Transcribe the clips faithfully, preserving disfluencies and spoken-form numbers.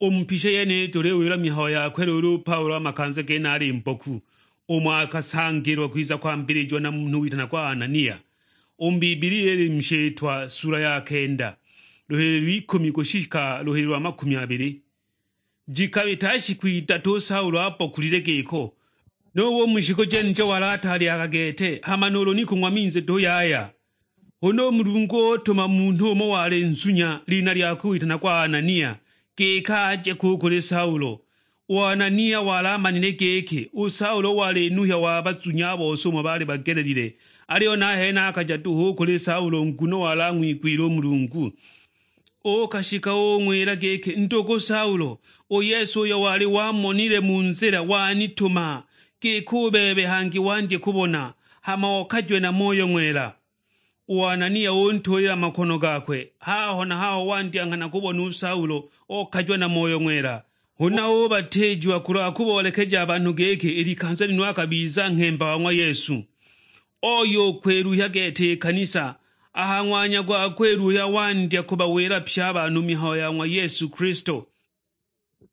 U mu pisha yeniyi tuliwilwa mihayo yakwe luulu u Paulo a makanza gene ali mboku, umo akasangilwa kwiza kwambilijiwa na munhu witanagwa Anania. U mu Bibilia ili mu Shitwa sula ya kenda, luhili lw'ikumi kushika luhili lwa makumi abili. Jikabita shiku idatu u Saulo abokulile giko, nubo u mu shiku jenijo wali atalyaga gete, hama nuulu ni kung'wa minzi duhu yaya. Huna u Mulungu utuma munhu umo wali nzunya, lina lyakwe witanagwa Anania, giki aje ku kuli Saulo. U Anania wali amanile giki u Saulo wali nuhya wa bazunya a bose umo baali bagelelile, aliyo nahene akaja duhu u kuli Saulo nguno wali ang'wigwile u Mulungu. Uukashika ung'wila giki, "Ndugu Saulo, u Yesu uyo wali wamonile mu nzila wanituma, giki u bebe hangi wandye kubona, hama okajwe na Moyo Ng'wela." U Anania untuulila makono gakwe, haho na haho wandya nghana kubona u Saulo, okajwa na Moyo Ng'wela. Huna ubatiijiwa kulwa kuboolekeja a banhu giki i likanza lino akabiza nghemba wa ng'wa Yesu. Oyo ukwiluhya gete i kanisa, a ha ng'wanya gwa kwiluhya wandya kubawila pye a banhu mihayo ya ng'wa Yesu Kilisto.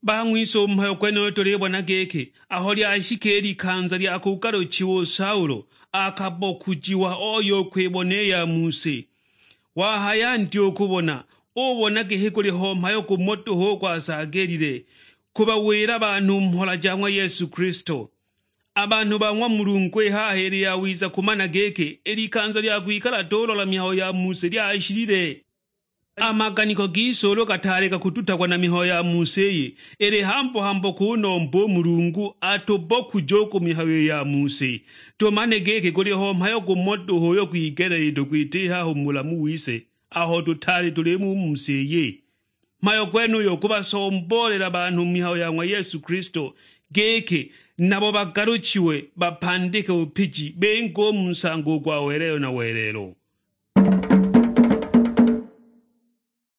Bang'wise u mhayo gwenuyo tulibona giki, aho lyashika i likanza lya kugaluchiwa u Saulo, akabokujiwa oyo ukwibona i ya mu si. Wahaya nti u kubona, ubona giki guli ho mhayo gumo duhu u gwasaagilile, kubawila banhu mhola ja ng'wa Yesu Kilisto. A banhu ba ng'wa Mulungu, i haha ili yawiza kumana giki, i likanza lya kwikala tulola mihayo ya mu si lyashilile. A maganiko gise ulu gataali gakututagwa na mihayo ya mu si iyi, ili hambo-hambo kunomba u Mulungu atubokuje u ku mihayo ya mu si, tumane giki guli ho mhayo gumo duhu uyo gwigeleelilwe kwita i haha u mu bulamu wise, aho tutaali tuli mu mu si iyi. Mhayo gwenuyo gubasomboolela banhu mihayo ya ng'wa Yesu Kilisto, giki nabo bagaluchiwe, bapandike bupiji, binge u mu nsango gwa welelo na welelo.